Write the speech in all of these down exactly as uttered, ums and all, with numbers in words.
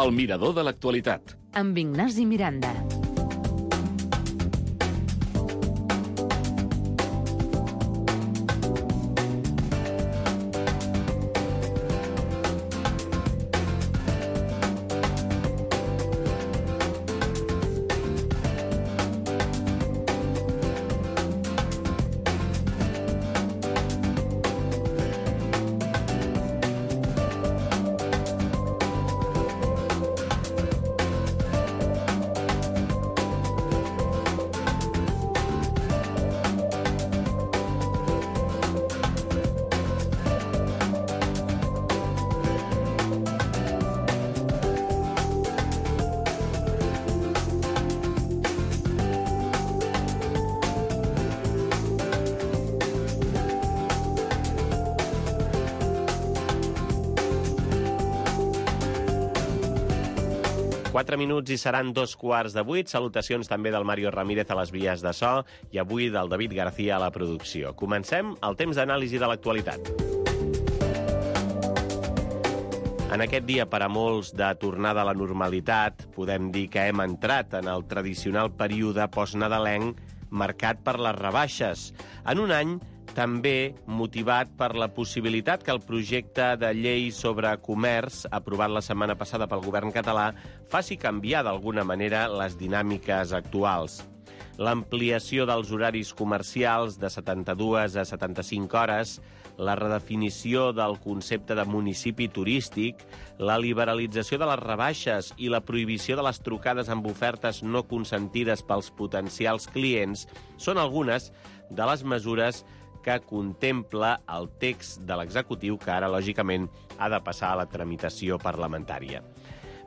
El mirador de l'actualitat. Amb Ignasi Miranda. Quatre minuts i seran dos quarts de vuit. Salutacions també del Mario Ramírez a les vies de so i avui del David García a la producció. Comencem el temps d'anàlisi de l'actualitat. En aquest dia, per a molts de tornada a la normalitat, podem dir que hem entrat en el tradicional període postnadalenc marcat per les rebaixes. En un any també motivat per la possibilitat que el projecte de llei sobre comerç, aprovat la setmana passada pel govern català, faci canviar d'alguna manera les dinàmiques actuals. L'ampliació dels horaris comercials de setanta-dues a setanta-cinc hores, la redefinició del concepte de municipi turístic, la liberalització de les rebaixes i la prohibició de les trucades amb ofertes no consentides pels potencials clients són algunes de les mesures que contempla el text de l'executiu que ara, lògicament, ha de passar a la tramitació parlamentària.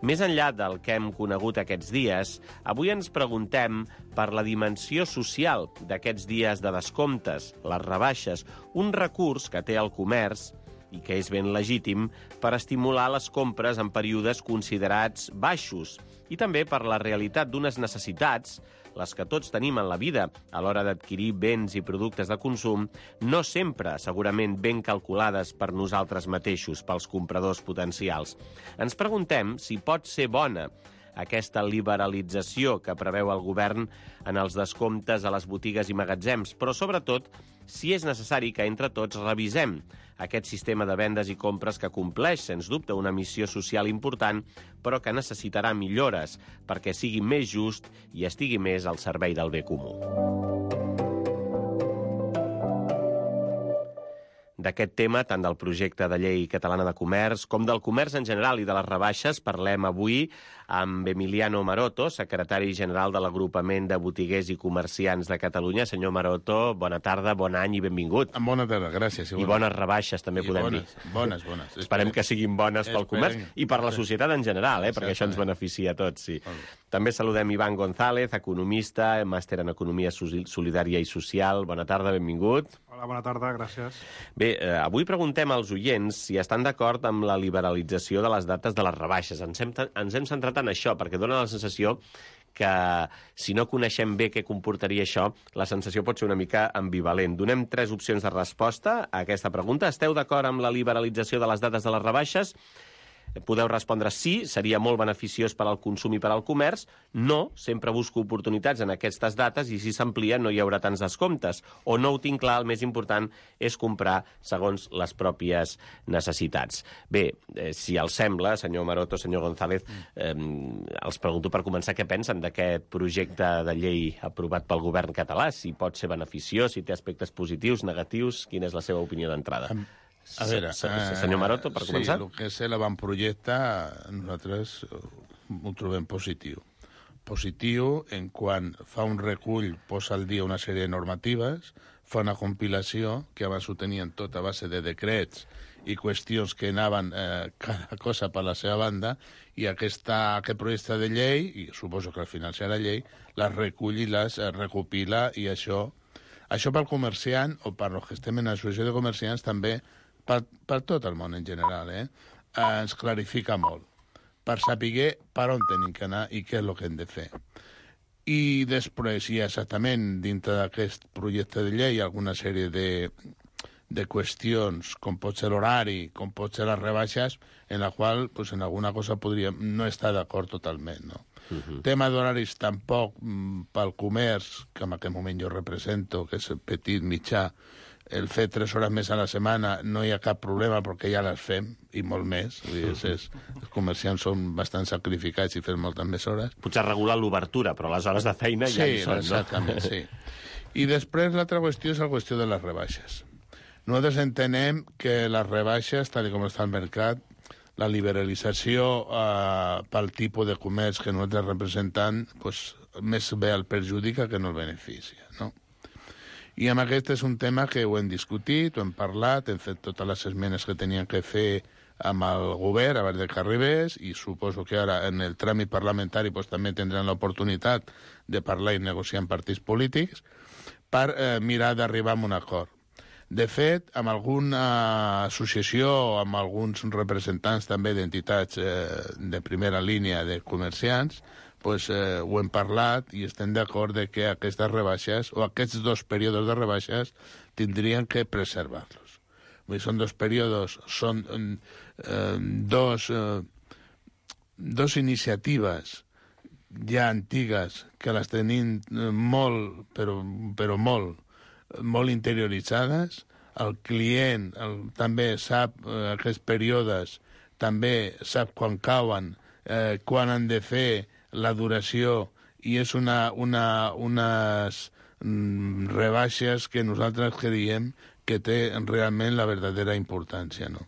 Més enllà del que hem conegut aquests dies, avui ens preguntem per la dimensió social d'aquests dies de descomptes, les rebaixes, un recurs que té el comerç i que és ben legítim per estimular les compres en períodes considerats baixos i també per la realitat d'unes necessitats, les que tots tenim en la vida a l'hora d'adquirir béns i productes de consum, no sempre segurament ben calculades per nosaltres mateixos, pels compradors potencials. Ens preguntem si pot ser bona aquesta liberalització que preveu el govern en els descomptes a les botigues i magatzems, però sobretot si és necessari que entre tots revisem aquest sistema de vendes i compres que compleix, sens dubte, una missió social important, però que necessitarà millores perquè sigui més just i estigui més al servei del bé comú. D'aquest tema, tant del projecte de llei catalana de comerç com del comerç en general i de les rebaixes, parlem avui amb Emiliano Maroto, secretari general de l'Agrupament de Botiguers i Comerciants de Catalunya. Senyor Maroto, bona tarda, bon any i benvingut. Bona tarda, gràcies. I, I bones rebaixes, també I podem bones, dir. Bones, bones. Esperem que siguin bones pel comerç i per la societat en general, eh, perquè això ens beneficia a tots. Sí. També saludem Ivan González, economista, màster en Economia Solidària i Social. Bona tarda, benvingut. Hola, bona tarda, gràcies. Bé, eh, avui preguntem als oients si estan d'acord amb la liberalització de les dates de les rebaixes. Ens hem, ens hem centrat en això, perquè dona la sensació que si no coneixem bé què comportaria això, la sensació pot ser una mica ambivalent. Donem tres opcions de resposta a aquesta pregunta. Esteu d'acord amb la liberalització de les dates de les rebaixes? Podeu respondre sí, seria molt beneficiós per al consum i per al comerç. No, sempre busco oportunitats en aquestes dates i si s'amplia no hi haurà tants descomptes. O no ho tinc clar, el més important és comprar segons les pròpies necessitats. Bé, eh, si els sembla, senyor Maroto, senyor González, eh, els pregunto per començar què pensen d'aquest projecte de llei aprovat pel govern català, si pot ser beneficiós, si té aspectes positius, negatius, quina és la seva opinió d'entrada? A veure, senyor Maroto, per començar. Sí, el que és l'avantprojecte nosaltres ho trobem positiu. Positiu en quan fa un recull, posa al dia una sèrie de normatives, fa una compilació, que abans ho tenien tot a base de decrets i qüestions que anaven eh, cada cosa per la seva banda, i aquesta, aquest projecte de llei, i suposo que al final serà llei, les recull i les eh, recopila, i això, això pel comerciant, o per els que estem en l'associació de comerciants també, Per, per tot el món en general, eh? eh, ens clarifica molt, per saber per on tenim que anar i què és el que hem de fer. I després hi ha exactament, dintre d'aquest projecte de llei, alguna sèrie de, de qüestions com pot ser l'horari, com pot ser les rebaixes, en la qual pues, en alguna cosa podríem no estar d'acord totalment, no? Uh-huh. Tema d'horaris tampoc mm, pel comerç, que en aquest moment jo represento, que és petit, mitjà, el fer tres hores més a la setmana no hi ha cap problema perquè ja les fem, i molt més. Vull dir, és, és, els comerciants són bastant sacrificats i fem moltes més hores. Potser regular l'obertura, però les hores de feina sí, ja hi són, exactament, no? Sí, i després l'altra qüestió és la qüestió de les rebaixes. Nosaltres entenem que les rebaixes, tal com està el mercat, la liberalització eh, pel tipus de comerç que nosaltres representant, pues, més bé el perjudica que no el beneficia, no? I amb aquest és un tema que ho hem discutit, ho hem parlat, hem fet totes les esmenes que tenien que fer amb el govern abans de que arribés, i suposo que ara en el tràmit parlamentari pues, també tindran l'oportunitat de parlar i negociar amb partits polítics per eh, mirar d'arribar a un acord. De fet, amb alguna associació, amb alguns representants també d'entitats eh, de primera línia de comerciants, pues, eh, ho hem parlat i estem d'acord de que aquestes rebaixes, o aquests dos períodes de rebaixes, tindrien que preservar-los. Vull dir, són dos períodes, són eh, dos, eh, dos iniciatives ja antigues que les tenim molt, però, però molt, molt interioritzades. El client el, també sap eh, aquests períodes, també sap quan cauen, eh, quan han de fer la duració, i és una, una, unes mm, rebaixes que nosaltres creiem que té realment la verdadera importància, no?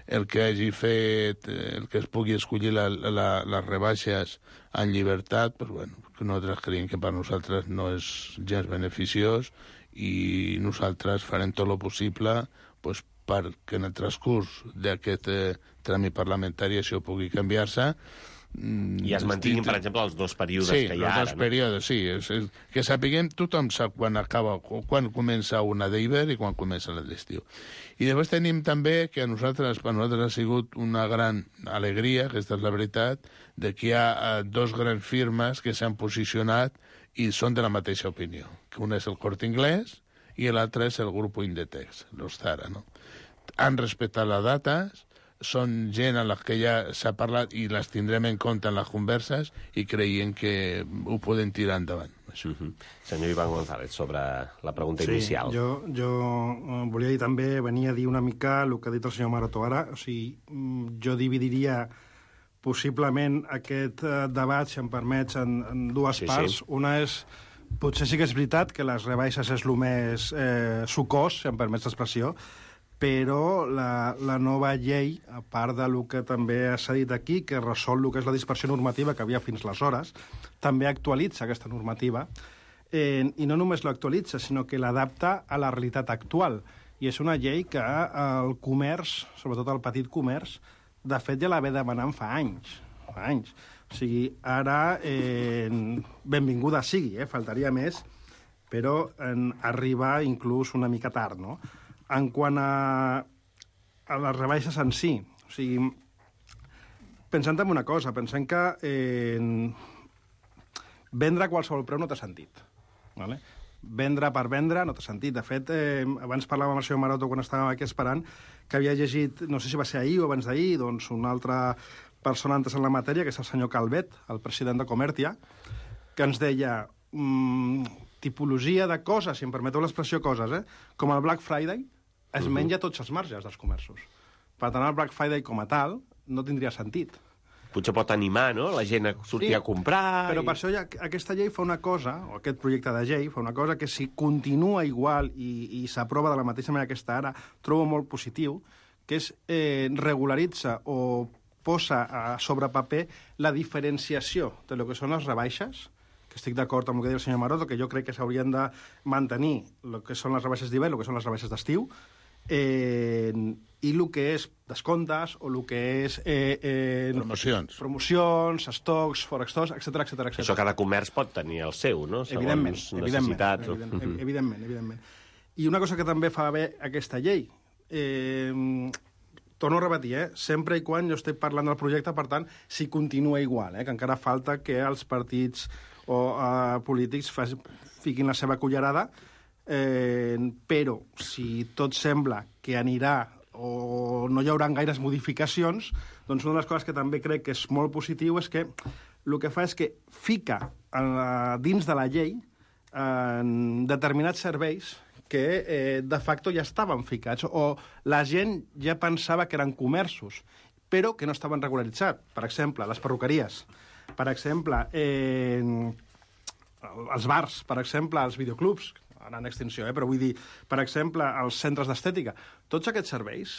El que hagi fet, el que es pugui escollir la, la, les rebaixes en llibertat, pues bueno, nosaltres creiem que per nosaltres no és gens beneficiós, i nosaltres farem tot el possible pues, perquè en el transcurs d'aquest eh, tràmit parlamentari això pugui canviar-se. I es mantinguin, per exemple, els dos períodes sí, que hi ha ara. Sí, els dos períodes, sí. És, és, que sapiguem, tothom sap quan acaba, quan comença una d'hivern i quan comença la d'estiu. I després tenim també que a nosaltres, per nosaltres ha sigut una gran alegria, aquesta és la veritat, de que hi ha eh, dos grans firmes que s'han posicionat i són de la mateixa opinió. Que un és el Corte Inglés i l'altre és el grup Inditex, los Zara, no? Han respectat les dates, són gent a les que ja s'ha parlat i les tindrem en compte en les converses i creiem que ho podem tirar endavant. Uh -huh. Senyor Iván González, sobre la pregunta sí, inicial. Jo, jo volia dir també, venia a dir una mica el que ha dit el senyor Maroto ara. O sigui, jo dividiria possiblement aquest debat, si em permets, en, en dues sí, parts. Sí. Una és, potser sí que és veritat que les rebaixes és el més eh, sucós, si em permets l'expressió, però la, la nova llei, a part de lo que també s'ha dit aquí, que resol el que és la dispersió normativa que havia fins aleshores, també actualitza aquesta normativa, eh, i no només l'actualitza, sinó que l'adapta a la realitat actual. I és una llei que el comerç, sobretot el petit comerç, de fet ja la ve demanant fa anys, fa anys. O sigui, ara, eh, benvinguda sigui, eh, faltaria més, però en arriba inclús una mica tard, no? En quant a, a les rebaixes en si, o sigui, pensant en una cosa, pensem que eh, vendre a qualsevol preu no té sentit. Vale? Vendre per vendre no té sentit. De fet, eh, abans parlàvem amb el senyor Maroto quan estàvem aquí esperant, que havia llegit, no sé si va ser ahir o abans d'ahir, doncs una altra persona antes en la matèria, que és el senyor Calvet, el president de Comertia, que ens deia mmm, tipologia de coses, si em permeteu l'expressió coses, eh? Com el Black Friday, es uh-huh. menja tots els marges dels comerços. Per tant, el Black Friday com a tal no tindria sentit. Potser pot animar, no?, la gent a sortir sí, a comprar... Però i... per això ja, aquesta llei fa una cosa, o aquest projecte de llei fa una cosa que si continua igual i, i s'aprova de la mateixa manera que està ara, trobo molt positiu, que és eh, regularitza o posa a sobre paper la diferenciació de lo que són les rebaixes, que estic d'acord amb el que deia el senyor Maroto, que jo crec que s'haurien de mantenir el que són les rebaixes d'hivern, el que són les rebaixes d'estiu, eh, i el que és descomptes o el que és... Eh, eh, promocions. Promocions, estocs, forextors, etcètera, etcètera, etcètera. Això cada comerç pot tenir el seu, no? Segons evidentment, necessitats. Evidentment, evidentment, evidentment, evidentment. I una cosa que també fa bé aquesta llei, eh, torno a repetir, eh, sempre i quan jo estic parlant del projecte, per tant, si continua igual, eh, que encara falta que els partits o eh, polítics fas, fiquin la seva cullerada, eh, però si tot sembla que anirà o no hi haurà gaires modificacions, doncs una de les coses que també crec que és molt positiu és que el que fa és que fica a, dins de la llei en determinats serveis que eh, de facto ja estaven ficats o la gent ja pensava que eren comerços, però que no estaven regularitzats. Per exemple, les perruqueries, per exemple, eh, els bars, per exemple, els videoclubs, ara en extinció, eh, però vull dir, per exemple, els centres d'estètica. Tots aquests serveis,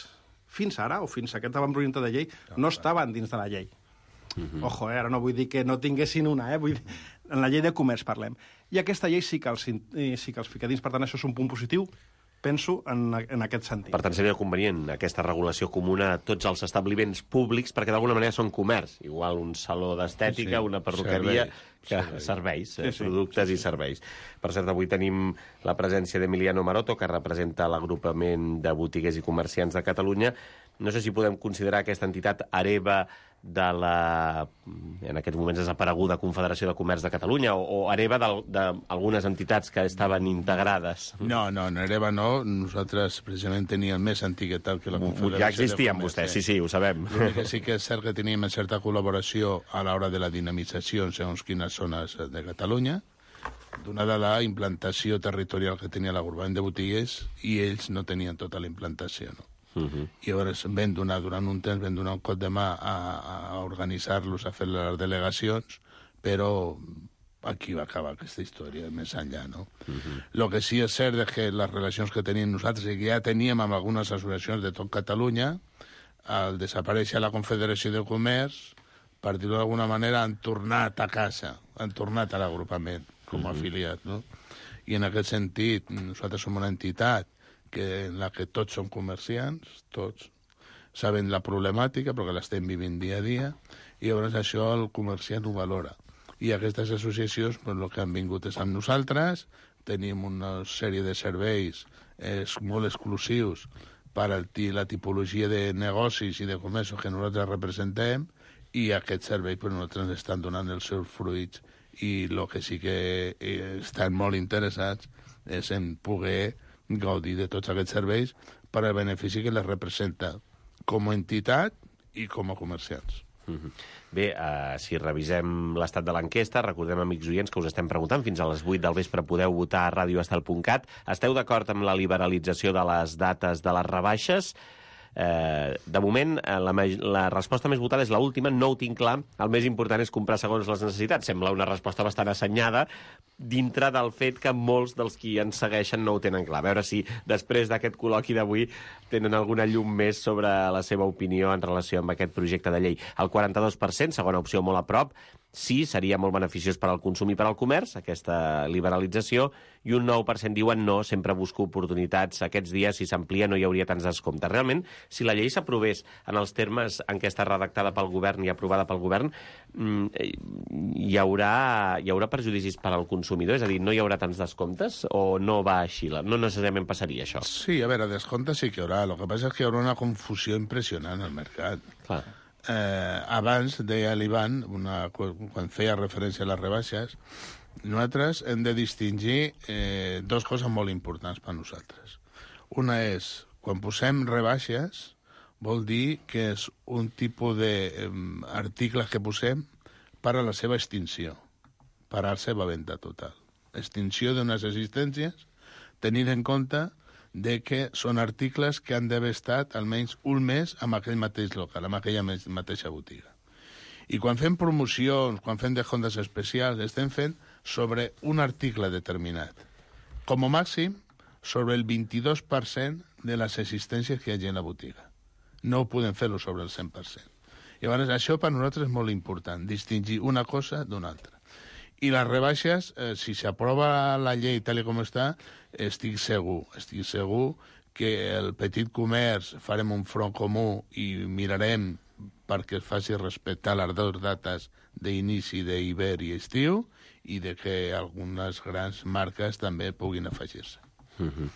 fins ara, o fins a aquest avantprojecte de llei, no estaven dins de la llei. Mm-hmm. Ojo, eh, ara no vull dir que no tinguessin una, eh, vull dir, en la llei de comerç parlem. I aquesta llei sí que els, sí que els fica dins, per tant, això és un punt positiu, penso, en, en aquest sentit. Per tant, seria convenient aquesta regulació comuna a tots els establiments públics, perquè d'alguna manera són comerç. Igual un saló d'estètica, sí, una perruqueria, serveis, que serveis, serveis sí, sí, productes sí, sí. i serveis. Per cert, avui tenim la presència d'Emiliano Maroto, que representa l'agrupament de botiguers i comerciants de Catalunya. No sé si podem considerar aquesta entitat hereva de la, en aquests moments desapareguda Confederació de Comerç de Catalunya, o, o hereva d'algunes entitats que estaven integrades. No, no, en hereva no. Nosaltres precisament teníem més antiguitat que la Confederació. Ja existien vostès, sí, sí, ho sabem. L'únic que sí que és cert que teníem certa col·laboració a l'hora de la dinamització en segons quines zones de Catalunya, donada la implantació territorial que tenia l'agrupament de botiguers, i ells no tenien tota la implantació, no? Uh-huh. I llavors vam donar, durant un temps, vam donar un cop de mà a, a organitzar-los, a fer les delegacions, però aquí va acabar aquesta història, més enllà, no? Uh-huh. Lo que sí és cert és que les relacions que tenim nosaltres i que ja teníem amb algunes associacions de tot Catalunya, al desaparèixer la Confederació de Comerç, per dir-ho d'alguna manera, han tornat a casa, han tornat a l'agrupament com a uh-huh. afiliat, no? I en aquest sentit, nosaltres som una entitat que en la que tots som comerciants, tots saben la problemàtica, perquè l'estem vivint dia a dia, i llavors això el comerciant ho valora. I aquestes associacions, pues, el que han vingut és amb nosaltres, tenim una sèrie de serveis eh, molt exclusius per a la tipologia de negocis i de comerços que nosaltres representem, i aquests serveis pues, nosaltres ens estan donant els seus fruits, i el que sí que eh, estan molt interessats és en poder gaudir de tots aquests serveis per al benefici que les representa com a entitat i com a comerciants. Mm-hmm. Bé, uh, si revisem l'estat de l'enquesta, recordem, amics oients, que us estem preguntant, fins a les vuit del vespre podeu votar a radioestel punt cat. Esteu d'acord amb la liberalització de les dates de les rebaixes? Eh, de moment, la, la resposta més votada és l'última, no ho tinc clar. El més important és comprar segons les necessitats. Sembla una resposta bastant assenyada, dintre del fet que molts dels qui ens segueixen no ho tenen clar. A veure si després d'aquest col·loqui d'avui tenen alguna llum més sobre la seva opinió en relació amb aquest projecte de llei. El quaranta-dos per cent, segona opció molt a prop, sí, seria molt beneficiós per al consum i per al comerç, aquesta liberalització, i un nou per cent diuen no, sempre busco oportunitats. Aquests dies, si s'amplia, no hi hauria tants descomptes. Realment, si la llei s'aprovés en els termes en què està redactada pel govern i aprovada pel govern, hi haurà, hi haurà perjudicis per al consumidor? És a dir, no hi haurà tants descomptes o no va així? No necessàriament passaria això? Sí, a veure, descomptes sí que hi haurà. El que passa és que hi haurà una confusió impressionant al mercat. Clar. Eh, abans, deia l'Ivan, una, quan feia referència a les rebaixes, nosaltres hem de distingir eh, dues coses molt importants per nosaltres. Una és, quan posem rebaixes, vol dir que és un tipus d'articles eh, que posem per a la seva extinció, per a la seva venda total. Extinció d'unes existències, tenint en compte de que són articles que han d'haver estat almenys un mes amb aquell mateix local, amb aquella mateixa botiga. I quan fem promocions, quan fem descomptes especials, estem fent sobre un article determinat. Com a màxim, sobre el vint-i-dos per cent de les existències que hi hagi en la botiga. No podem fer-ho sobre el cent per cent. Llavors, això per nosaltres és molt important, distingir una cosa d'una altra. I les rebaixes, eh, si s'aprova la llei tal com està, estic segur, estic segur que el petit comerç farem un front comú i mirarem perquè es faci respectar les dues dates d'inici d'hivern i estiu i de que algunes grans marques també puguin afegir-se. Mm-hmm.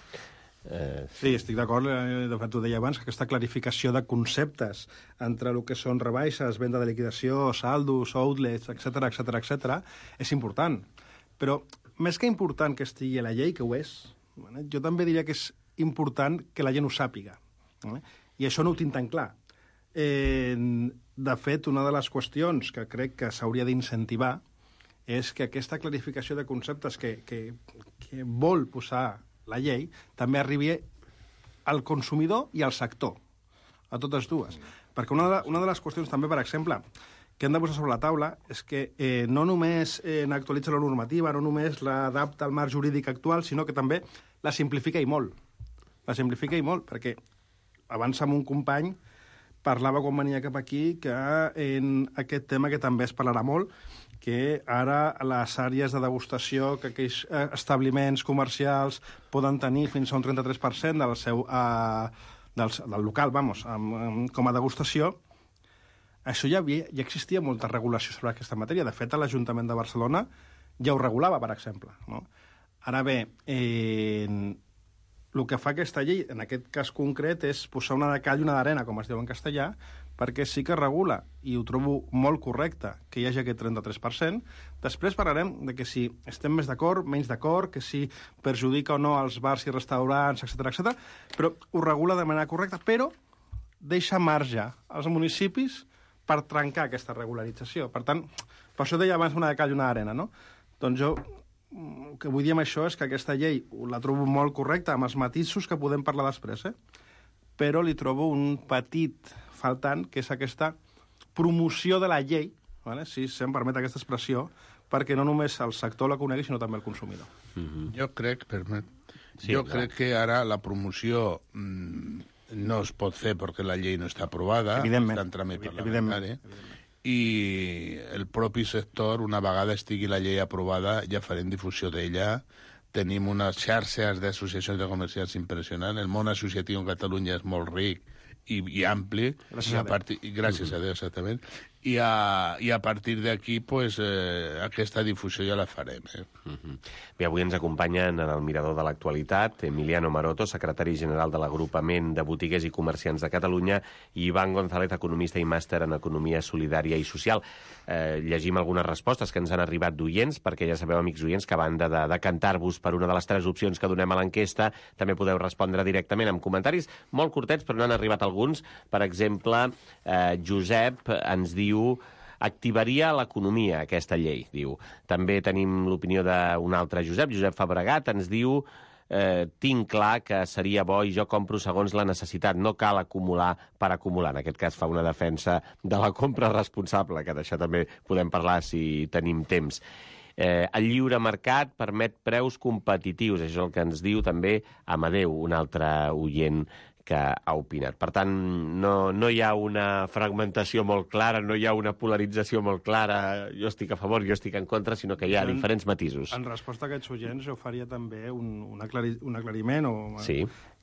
Eh, sí, estic d'acord, de fet ho deia abans, que aquesta clarificació de conceptes entre el que són rebaixes, venda de liquidació, saldos, outlets, etcètera, etcètera, etcètera, és important. Però més que important que estigui a la llei, que ho és, Vale? Jo també diria que és important que la gent ho sàpiga. Vale? I això no ho tinc tan clar. Eh, de fet, una de les qüestions que crec que s'hauria d'incentivar és que aquesta clarificació de conceptes que, que, que vol posar la llei també arribi al consumidor i al sector, a totes dues. Perquè una de, una de les qüestions també, per exemple, que hem de posar sobre la taula és que eh, no només eh, actualitza la normativa, no només l'adapta al marc jurídic actual, sinó que també la simplifica i molt. La simplifica i molt, perquè abans amb un company parlava quan venia cap aquí que en aquest tema que també es parlarà molt, que ara les àrees de degustació que aquells establiments comercials poden tenir fins a un trenta-tres per cent del seu eh, del, del local, vamos, amb, amb, com a degustació. Això ja, havia, ja existia molta regulació sobre aquesta matèria. De fet, a l'Ajuntament de Barcelona ja ho regulava, per exemple. No? Ara bé, eh, el que fa aquesta llei, en aquest cas concret, és posar una de cal i una d'arena, com es diu en castellà, perquè sí que regula, i ho trobo molt correcte, que hi hagi aquest trenta-tres per cent. Després parlarem de que si estem més d'acord, menys d'acord, que si perjudica o no els bars i restaurants, etcètera, etcètera, però ho regula de manera correcta, però deixa marge als municipis per trencar aquesta regularització. Per tant, per això deia abans una de cal i una d'arena, no? Doncs jo el que vull dir amb això és que aquesta llei la trobo molt correcta, amb els matisos que podem parlar després, eh? Però li trobo un petit faltant, que és aquesta promoció de la llei, ¿vale? Si se'm permet aquesta expressió, perquè no només el sector la conegui, sinó també el consumidor. Mm-hmm. Jo crec, permet, sí, jo clar. crec que ara la promoció mmm, no es pot fer perquè la llei no està aprovada, està en tràmit parlamentari, i el propi sector, una vegada estigui la llei aprovada, ja farem difusió d'ella. Tenim unes xarxes d'associacions de comerciants impressionants. El món associatiu en Catalunya és molt ric i, i ampli. Gràcies i a, a Déu. partir, i gràcies uh-huh. a Déu, exactament. I a, i a partir d'aquí, pues, eh, aquesta difusió ja la farem. Eh? Uh-huh. Bé, avui ens acompanyen en el Mirador de l'Actualitat Emiliano Maroto, secretari general de l'Agrupament de Botiguers i Comerciants de Catalunya, i Ivan González, economista i màster en Economia Solidària i Social. Eh, llegim algunes respostes que ens han arribat d'oients, perquè ja sabeu, amics oients, que a banda de decantar-vos per una de les tres opcions que donem a l'enquesta, també podeu respondre directament amb comentaris molt curtets, però n'han arribat alguns. Per exemple, eh, Josep ens diu activaria l'economia, aquesta llei, diu. També tenim l'opinió d'un altre Josep, Josep Fabregat, ens diu eh, tinc clar que seria bo i jo compro segons la necessitat, no cal acumular per acumular. En aquest cas fa una defensa de la compra responsable, que d'això també podem parlar si tenim temps. Eh, el lliure mercat permet preus competitius, això és el que ens diu també Amadeu, un altre oient que ha opinat. Per tant, no, no hi ha una fragmentació molt clara, no hi ha una polarització molt clara, jo estic a favor, jo estic en contra, sinó que hi ha en, diferents matisos. En resposta a aquests oients, jo faria també un, un, aclari, un aclariment, o, sí.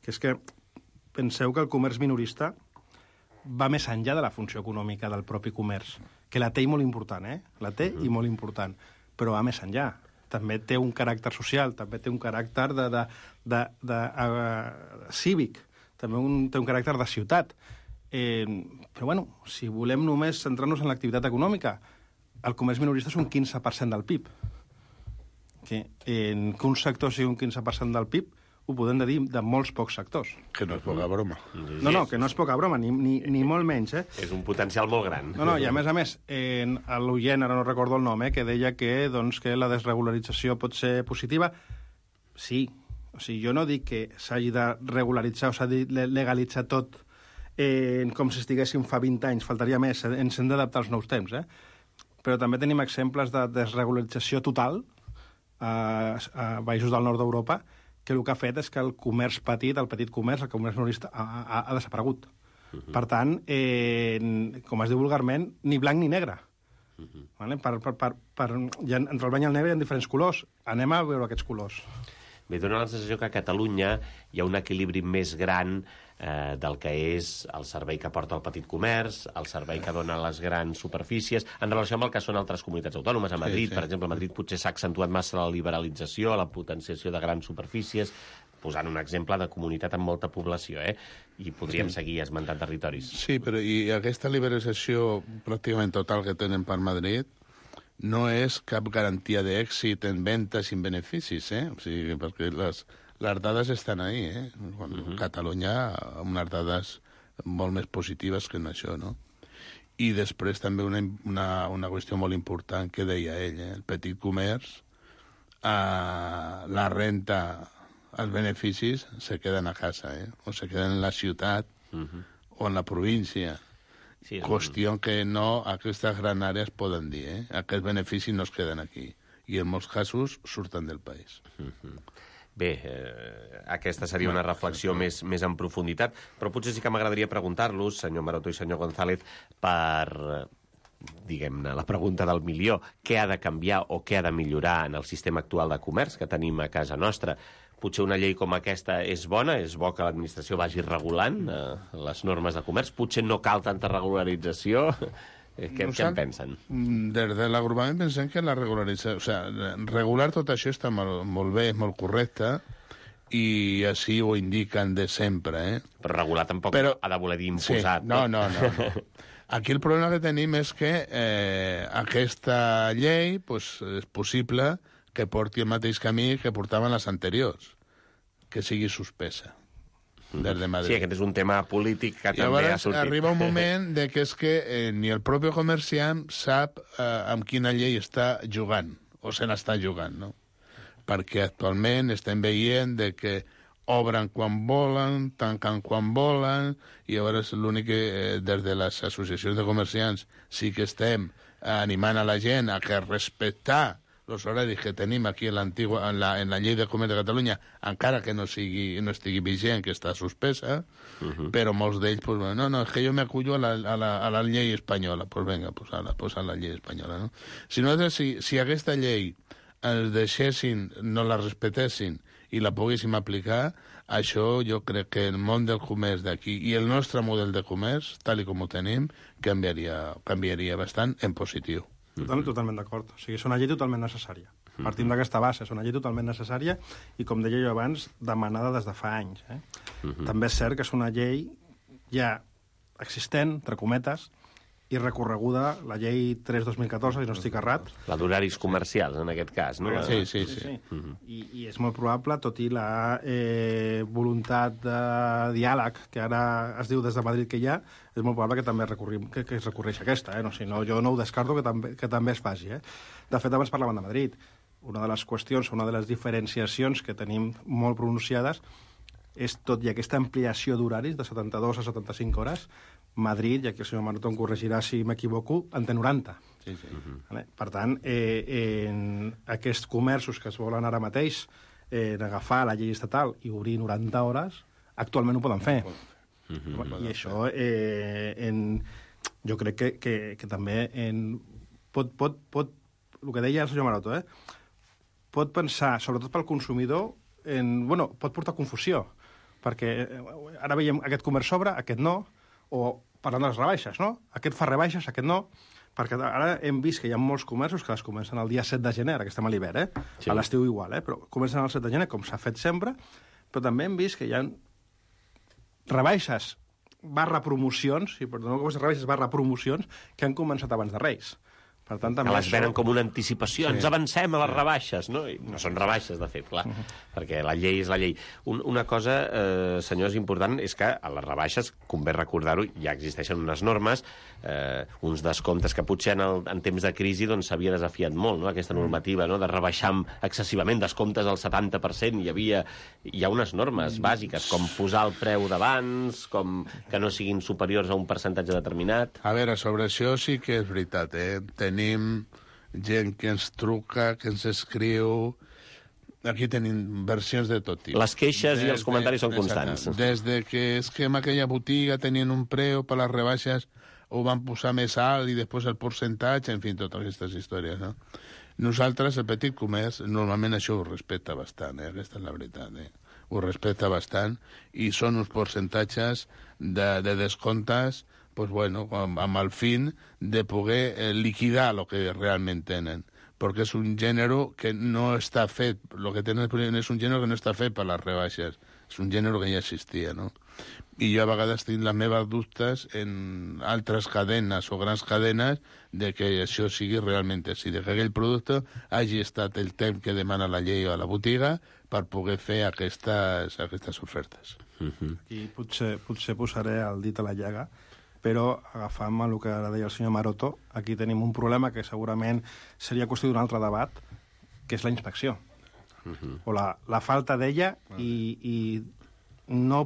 que és que penseu que el comerç minorista va més enllà de la funció econòmica del propi comerç, que la té i molt important, eh? La té uh-huh. i molt important, però va més enllà. També té un caràcter social, també té un caràcter de, de, de, de, de, uh, cívic, també un, té un caràcter de ciutat. Eh, però, bueno, si volem només centrar-nos en l'activitat econòmica, el comerç minorista és un quinze per cent del P I B. Que, eh, que un sector sigui un quinze per cent del P I B ho podem dir de molts pocs sectors. Que no és poca broma. No, no, que no és poca broma, ni, ni, ni molt menys, eh? És un potencial molt gran. No, no, i a més a més, eh, l'oient, ara no recordo el nom, eh, que deia que, doncs, que la desregularització pot ser positiva. Sí. O sigui, jo no dic que s'hagi de regularitzar o s'hagi de legalitzar tot eh, com si estiguéssim fa vint anys, faltaria més, ens hem d'adaptar als nous temps, eh? Però també tenim exemples de desregularització total a, a països del nord d'Europa, que el que ha fet és que el comerç petit, el petit comerç, el comerç minorista, ha, ha, ha desaparegut. Uh-huh. Per tant, eh, com es diu vulgarment, ni blanc ni negre. Uh-huh. Vale? Per, per, per, per, ja, entre el blanc i el negre hi ha diferents colors. Anem a veure aquests colors. Bé, dona la sensació que a Catalunya hi ha un equilibri més gran eh, del que és el servei que porta el petit comerç, el servei que dona les grans superfícies, en relació amb el que són altres comunitats autònomes. A Madrid, sí, sí. per exemple, a Madrid potser s'ha accentuat massa la liberalització, la potenciació de grans superfícies, posant un exemple de comunitat amb molta població, eh? I podríem sí. seguir esmentant territoris. Sí, però i aquesta liberalització pràcticament total que tenen per Madrid no és cap garantia d'èxit en ventes i en beneficis, eh? O sigui, perquè les, les dades estan ahí, eh? Quan, uh-huh. Catalunya, amb unes dades molt més positives que en això, no? I després també una, una, una qüestió molt important que deia ell, eh? El petit comerç, eh, la renta, els beneficis se queden a casa, eh? O se queden en la ciutat uh-huh. o en la província. Sí, qüestió un... que no aquestes grans àrees poden dir, eh? Aquests beneficis no es queden aquí. I en molts casos surten del país. Uh-huh. Bé, eh, aquesta seria una reflexió més, més en profunditat, però potser sí que m'agradaria preguntar-los, senyor Maroto i senyor González, per, diguem-ne, la pregunta del milió, què ha de canviar o què ha de millorar en el sistema actual de comerç que tenim a casa nostra. Potser una llei com aquesta és bona, és bo que l'administració vagi regulant eh, les normes de comerç, potser no cal tanta regularització. Què, què en pensen? Des de l'agrupament pensem que la regularització... O sigui, regular tot això està molt, molt bé, molt correcte, i així ho indiquen de sempre, eh? Però regular tampoc Però, ha de voler dir imposat. Sí, no, no, no, no. Aquí el problema que tenim és que eh, aquesta llei pues, és possible que porti el mateix camí que portaven les anteriors, que sigui suspesa. Des de Madrid. Sí, aquest és un tema polític que I també ha sortit. Arriba un moment de que és que eh, ni el propi comerciant sap eh, amb quina llei està jugant, o se n'està jugant, no? Perquè actualment estem veient de que obren quan volen, tanquen quan volen, i llavors l'únic que eh, des de les associacions de comerciants sí que estem animant a la gent a que respectar els horaris que tenim aquí en, en, la, en la llei de comerç de Catalunya, encara que no, sigui, no estigui vigent, que està suspesa, uh-huh. però molts d'ells, pues, no, no, és que jo m'acullo a, la, a, la, a la llei espanyola. Doncs pues vinga, pues, a la, pues a la llei espanyola, no? Si, no, si, si aquesta llei els deixessin, no la respectessin i la poguéssim aplicar, això jo crec que el món del comerç d'aquí i el nostre model de comerç, tal com ho tenim, canviaria, canviaria bastant en positiu. Totalment, totalment d'acord. O sigui, és una llei totalment necessària. Partim d'aquesta base, és una llei totalment necessària i, com deia jo abans, demanada des de fa anys. Eh? Uh-huh. També és cert que és una llei ja existent, entre cometes, i recorreguda, la llei tres dos mil catorze, si no estic errat. La d'horaris comercials, en aquest cas, no? Sí, sí, sí. sí. sí. Uh-huh. I, I és molt probable, tot i la eh, voluntat de diàleg que ara es diu des de Madrid que hi ha, és molt probable que també recorrim, que, que es recorreix aquesta. Eh? No, si no, jo no ho descarto que també, que també es faci. Eh? De fet, abans parlaven de Madrid. Una de les qüestions, una de les diferenciacions que tenim molt pronunciades és tot i aquesta ampliació d'horaris de setanta-dues a setanta-cinc hores, Madrid, i aquí el senyor Maroto em corregirà si m'equivoco, en té noranta. Sí, sí. Uh-huh. Vale? Per tant, eh, en aquests comerços que es volen ara mateix eh, agafar la llei estatal i obrir noranta hores, actualment ho poden fer. Uh-huh. I això, eh, en, jo crec que, que, que també en, pot, pot, pot, el que deia el senyor Maroto, eh, pot pensar, sobretot pel consumidor, en, bueno, pot portar confusió, perquè ara veiem aquest comerç sobre, aquest no, o parlant de les rebaixes, no? Aquest fa rebaixes, aquest no, perquè ara hem vist que hi ha molts comerços que les comencen el dia set de gener, ara que estem a l'hivern, eh? Sí. A l'estiu igual, eh? Però comencen el set de gener, com s'ha fet sempre, però també hem vist que hi ha rebaixes barra promocions, i per no com rebaixes barra promocions, que han començat abans de Reis. Per tant, també que les venen això... com una anticipació, sí. Ens avancem a les rebaixes, no? I no són rebaixes, de fet, clar, uh-huh. perquè la llei és la llei. Un, una cosa, eh, senyors, important és que a les rebaixes, convé recordar-ho, ja existeixen unes normes, eh, uns descomptes que potser en, el, en temps de crisi s'havia doncs, desafiat molt, no? Aquesta normativa, no? De rebaixar excessivament descomptes al setanta per cent. Hi havia, hi ha unes normes bàsiques, com posar el preu d'abans, com que no siguin superiors a un percentatge determinat. A veure, sobre això sí que és veritat, eh? Tenim gent que ens truca, que ens escriu... Aquí tenim versions de tot tipus. Les queixes des i els comentaris de, són constants. Des de que és que en aquella botiga tenien un preu per les rebaixes, ho van posar més alt i després el percentatge, en fi, totes aquestes històries, no? Nosaltres, el petit comerç, normalment això ho respecta bastant, eh? Aquesta és la veritat, eh? Ho respecta bastant i són uns percentatges de, de descomptes pues bueno, amb, amb el fin de poder eh, liquidar el que realment tenen, perquè és un gènere que no està fet, el que tenen és un gènere que no està fet per les rebaixes, és un gènere que ja existia, no? I jo a vegades tinc les meves dubtes en altres cadenes o grans cadenes de que això sigui realment així, de que aquell producte hagi estat el temps que demana la llei a la botiga per poder fer aquestes, aquestes ofertes. Uh-huh. I potser, potser posaré el dit a la llaga, però agafant el que ara deia el senyor Maroto, aquí tenim un problema que segurament seria qüestió d'un altre debat, que és la inspecció. Uh-huh. O la, la falta d'ella i, i no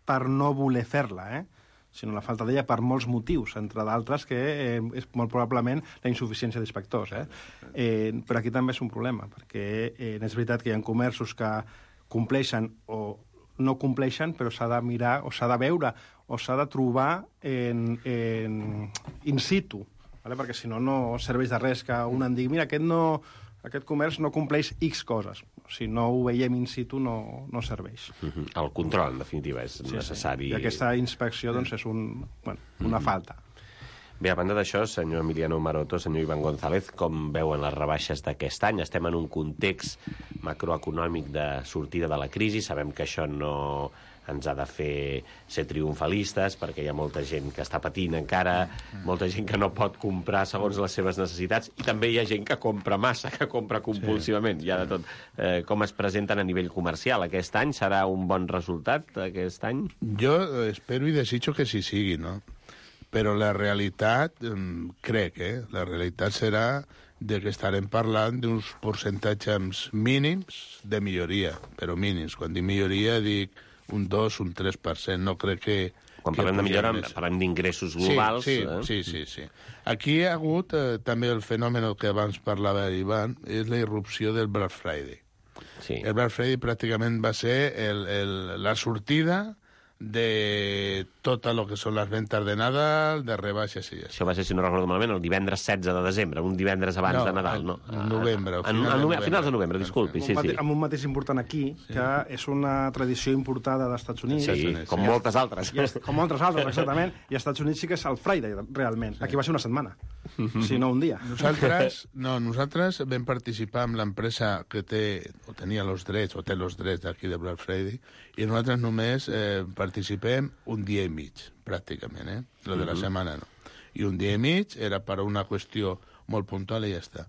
per no voler fer-la, eh? sinó la falta d'ella per molts motius, entre d'altres que eh, és molt probablement la insuficiència d'inspectors. Eh? Eh, però aquí també és un problema, perquè eh, és veritat que hi ha comerços que compleixen o no compleixen, però s'ha de mirar o s'ha de veure o s'ha de trobar en, en in situ, vale? Perquè si no, no serveix de res que un en digui mira, aquest no... aquest comerç no compleix X coses. Si no ho veiem in situ, no, no serveix. Uh-huh. El control, en definitiva, és sí, necessari. Sí. I aquesta inspecció doncs, és un, bueno, una uh-huh. falta. Bé, a banda d'això, senyor Emiliano Maroto, senyor Iván González, com veuen les rebaixes d'aquest any? Estem en un context macroeconòmic de sortida de la crisi. Sabem que això no ens ha de fer ser triomfalistes, perquè hi ha molta gent que està patint encara, molta gent que no pot comprar segons les seves necessitats, i també hi ha gent que compra massa, que compra compulsivament. Sí. Hi ha de tot. Eh, com es presenten a nivell comercial aquest any? Serà un bon resultat aquest any? Jo espero i desitjo que sí sigui, no? Però la realitat, crec, eh? La realitat serà de que estarem parlant d'uns percentatges mínims de milloria, però mínims. Quan dic milloria dic un dos, un tres per cent, no crec que... Quan parlem de millora, parlem d'ingressos globals. Sí, sí, eh? sí, sí, sí. Aquí hi ha hagut eh, també el fenomen que abans parlava Ivan, és la irrupció del Black Friday. Sí. El Black Friday pràcticament va ser el, el, la sortida de tot el que són les ventes de Nadal, de rebaixes i ja. Això va ser, si no recordo malament, el divendres setze de desembre, un divendres abans no, de Nadal, no? En novembre. A, a, a, a finals de novembre, disculpi, sí, sí. Amb un mateix important aquí, que sí. és una tradició importada dels Estats Units. Sí, Units, com sí. moltes altres. I és, com moltes altres, exactament. I als Estats Units sí que és el Friday, realment. Sí. Aquí va ser una setmana, mm-hmm. si no un dia. Nosaltres, no, nosaltres vam participar amb l'empresa que té, o tenia els drets, o té els drets d'aquí de Black Friday, i nosaltres només eh, participem un dia i mig, pràcticament, eh? Lo de la uh-huh. setmana no. I un dia i mig era per una qüestió molt puntual i ja està.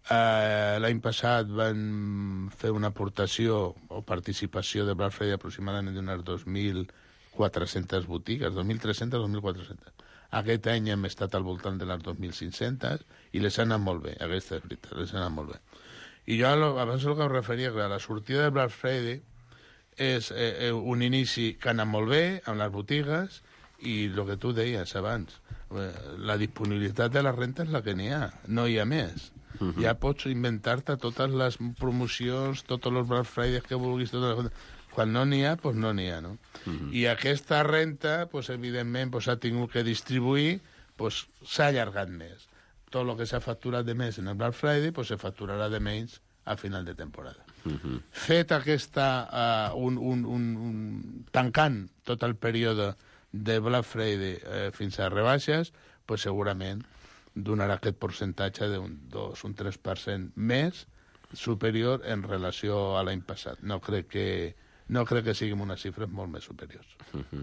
Uh, L'any passat van fer una aportació o participació de Black Friday aproximadament d'unes dos mil quatre-centes botigues, dos mil tres-centes, dos mil quatre-centes. Aquest any hem estat al voltant de les dos mil cinc-centes i les han anat molt bé, aquesta és veritat, les han anat molt bé. I jo abans el que em referia, que la sortida de Black Friday és eh, un inici que ha anat molt bé amb les botigues i el que tu deies abans, eh, la disponibilitat de la renta és la que n'hi ha, no hi ha més. Uh-huh. Ja pots inventar-te totes les promocions, tots els Black Fridays que vulguis, totes les... quan no n'hi ha, doncs no n'hi ha, no? Uh-huh. I aquesta renta, pues, evidentment, pues, ha tingut que distribuir, pues, s'ha allargat més. Tot el que s'ha facturat de més en el Black Friday, pues, se facturarà de menys a final de temporada. Uh-huh. Fet aquesta, uh, un, un, un, un, tancant tot el període de Black Friday eh, fins a rebaixes, pues segurament donarà aquest percentatge d'un dos, un tres per cent més superior en relació a l'any passat. No crec que no crec que siguin unes xifres molt més superiors. Uh-huh.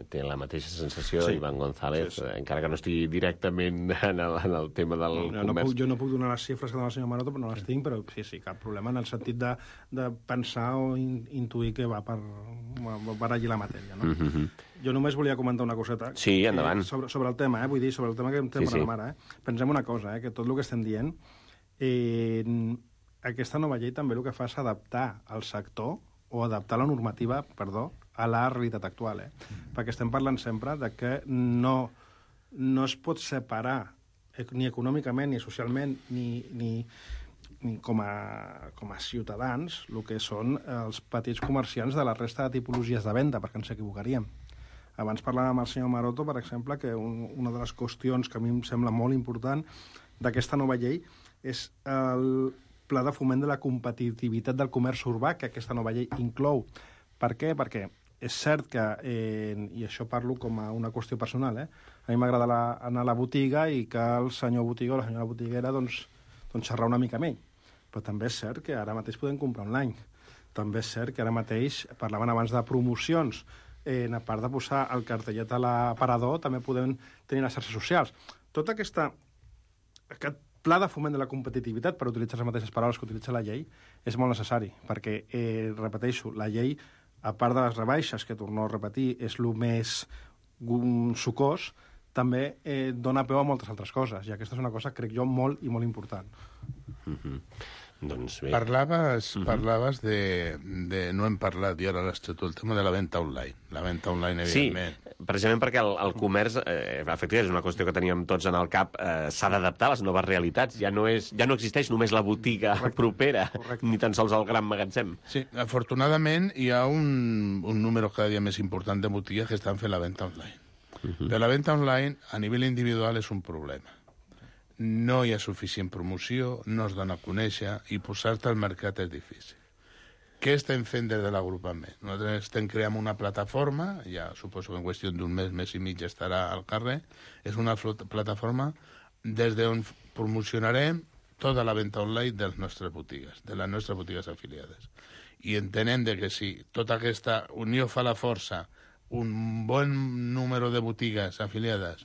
Té la mateixa sensació, sí. Iván González, sí, sí. encara que no estigui directament en el, en el tema del no, comerç. No puc, jo no puc donar les xifres que dona el senyor Maroto, però no les tinc, però sí, sí, cap problema en el sentit de, de pensar o in, intuir que va per, per allí la matèria. No? Uh-huh. Jo només volia comentar una coseta. Sí, endavant. Eh, sobre, sobre el tema, eh? Vull dir, sobre el tema que em té sí, sí. Ara. Eh? Pensem una cosa, eh? Que tot el que estem dient, eh, aquesta nova llei també el que fa és adaptar el sector o adaptar la normativa, perdó, a la realitat actual, eh? Mm. Perquè estem parlant sempre de que no, no es pot separar ni econòmicament, ni socialment, ni, ni, ni com, a, com a ciutadans el que són els petits comerciants de la resta de tipologies de venda, perquè ens equivocaríem. Abans parlàvem amb el senyor Maroto, per exemple, que un, una de les qüestions que a mi em sembla molt important d'aquesta nova llei és el pla de foment de la competitivitat del comerç urbà que aquesta nova llei inclou. Per què? Perquè és cert que, eh, i això parlo com a una qüestió personal, eh? A mi m'agrada la, anar a la botiga i que el senyor botiga o la senyora botiguera doncs, doncs xerrar una mica amb ell. Però també és cert que ara mateix podem comprar online. també és cert que ara mateix, parlaven abans de promocions, eh, a part de posar el cartellet a l'aparador, també podem tenir les xarxes socials. Tota aquesta... Aquest pla de foment de la competitivitat, per utilitzar les mateixes paraules que utilitza la llei, és molt necessari, perquè, eh, repeteixo, la llei, a part de les rebaixes, que torno a repetir, és el més sucós, també eh, dona peu a moltes altres coses, i aquesta és una cosa, crec jo, molt i molt important. Mm-hmm. Doncs bé. Parlaves, uh-huh. parlaves de, de... No hem parlat, i ara l'has tret tu, el tema de la venda online. La venda online, evidentment. Sí, precisament perquè el, el comerç, eh, efectivament, és una qüestió que teníem tots en el cap, eh, s'ha d'adaptar a les noves realitats. Ja no, és, ja no existeix només la botiga correcte, propera, correcte. Ni tan sols el gran magatzem. Sí, afortunadament hi ha un, un número cada dia més important de botigues que estan fent la venda online. Uh-huh. Però la venda online, a nivell individual, és un problema. No hi ha suficient promoció, no es dona a conèixer i posar-te al mercat és difícil. Què estem fent des de l'agrupament? Nosaltres estem creant una plataforma, ja suposo que en qüestió d'un mes, mes i mig estarà al carrer, és una plataforma des d'on promocionarem tota la venda online de les nostres botigues, de les nostres botigues afiliades. I entenem de que si tota aquesta unió fa la força, un bon número de botigues afiliades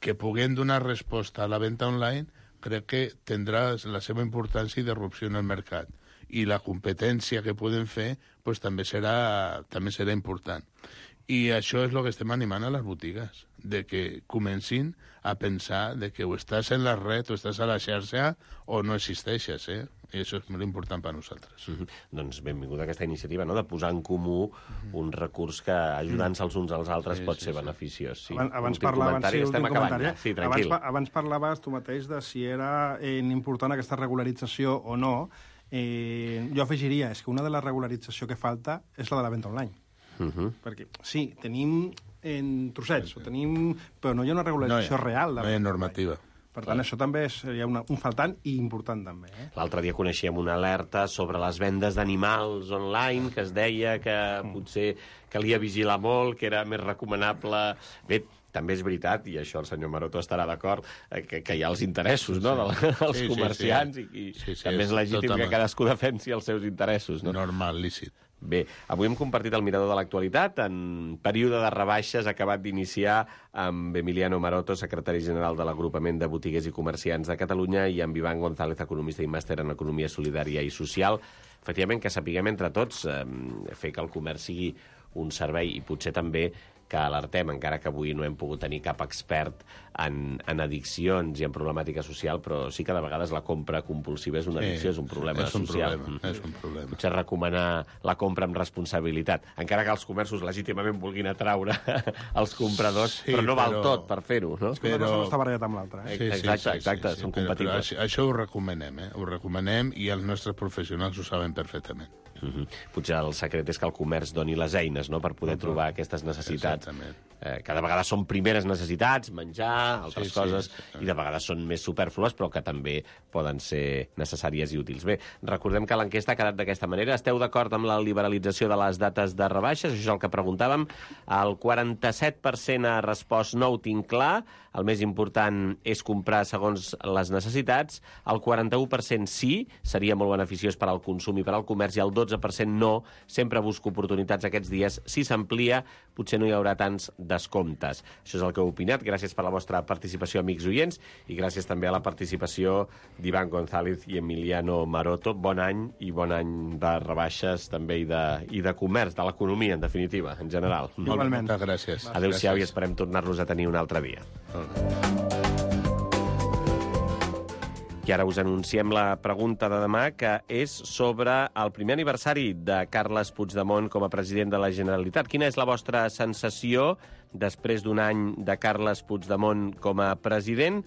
que puguem donar resposta a la venda online, crec que tindrà la seva importància i disrupció en el mercat. I la competència que podem fer pues, també, serà, també serà important. I això és el que estem animant a les botigues, de que comencin a pensar de que o estàs en la red o estàs a la xarxa o no existeixes, eh? I això és molt important per a nosaltres. Mm-hmm. Doncs benvinguda aquesta iniciativa, no?, de posar en comú un recurs que, ajudant-se els uns als altres, sí, pot sí, ser sí. beneficiós. Sí. Abans, abans parlaven, sí, estem acabant ja. Sí, tranquil. Abans, abans parlaves tu mateix de si era eh, important aquesta regularització o no. Eh, jo afegiria, és que una de les regularització que falta és la de la venda online. Uh-huh. Perquè, sí, tenim en trossets, sí, sí. Tenim, però no hi ha una regularització no hi ha, real. De no hi ha normativa. Per tant, Clar. Això també seria una, un faltant i important, també. Eh? L'altre dia coneixíem una alerta sobre les vendes d'animals online, que es deia que mm. potser calia vigilar molt, que era més recomanable... Bé, també és veritat, i això el senyor Maroto estarà d'acord, que, que hi ha els interessos, no?, sí, sí. dels sí, comerciants, sí, sí. i, i sí, sí, també és legítim totalment. Que cadascú defensi els seus interessos. No? Normal, lícit. Bé, avui hem compartit el mirador de l'actualitat en període de rebaixes acabat d'iniciar amb Emiliano Maroto, secretari general de l'Agrupament de Botiguers i Comerciants de Catalunya, i amb Iván González, economista i màster en Economia Solidària i Social. Efectivament, que sapiguem entre tots eh, fer que el comerç sigui un servei i potser també que alertem, encara que avui no hem pogut tenir cap expert en, en addiccions i en problemàtica social, però sí que de vegades la compra compulsiva és una addicció, sí, és un problema és un social. Problema, mm. És un problema. Potser recomanar la compra amb responsabilitat, encara que els comerços legítimament vulguin atraure els compradors, sí, però no val però... tot per fer-ho, no? És que però... no està barallat amb l'altre. Eh? Sí, sí, exacte, exacte, sí, sí, són però, compatibles. Però això ho recomanem, eh? Ho recomanem i els nostres professionals ho saben perfectament. Uh-huh. Potser el secret és que el comerç doni les eines, no?, per poder trobar aquestes necessitats. Eh, que de vegades són primeres necessitats, menjar, altres sí, coses, sí, sí. I de vegades són més superflues, però que també poden ser necessàries i útils. Bé, recordem que l'enquesta ha quedat d'aquesta manera. Esteu d'acord amb la liberalització de les dates de rebaixes? Això és el que preguntàvem. El quaranta-set per cent ha respost no ho tinc clar. El més important és comprar segons les necessitats. El quaranta-u per cent sí, seria molt beneficiós per al consum i per al comerç, i el dotze per cent no, sempre busco oportunitats aquests dies. Si s'amplia, potser no hi haurà tants descomptes. Això és el que heu opinat. Gràcies per la vostra participació, amics oients, i gràcies també a la participació d'Iván González i Emiliano Maroto. Bon any i bon any de rebaixes també i de, i de comerç, de l'economia, en definitiva, en general. Igualment. Moltes gràcies. Adéu-siau i esperem tornar-los a tenir un altre dia. I ara us anunciem la pregunta de demà, que és sobre el primer aniversari de Carles Puigdemont com a president de la Generalitat. Quina és la vostra sensació després d'un any de Carles Puigdemont com a president?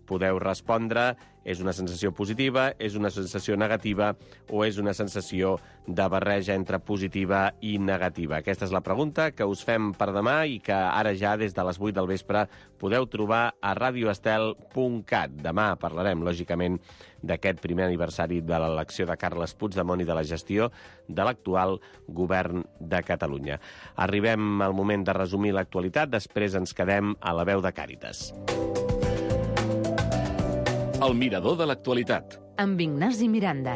Podeu respondre, és una sensació positiva, és una sensació negativa o és una sensació de barreja entre positiva i negativa. Aquesta és la pregunta que us fem per demà i que ara ja des de les vuit del vespre podeu trobar a radio estel punt cat. Demà parlarem, lògicament, d'aquest primer aniversari de l'elecció de Carles Puigdemont i de la gestió de l'actual govern de Catalunya. Arribem al moment de resumir l'actualitat, després ens quedem a la veu de Càritas. El mirador de l'actualitat. Amb Ignasi Miranda.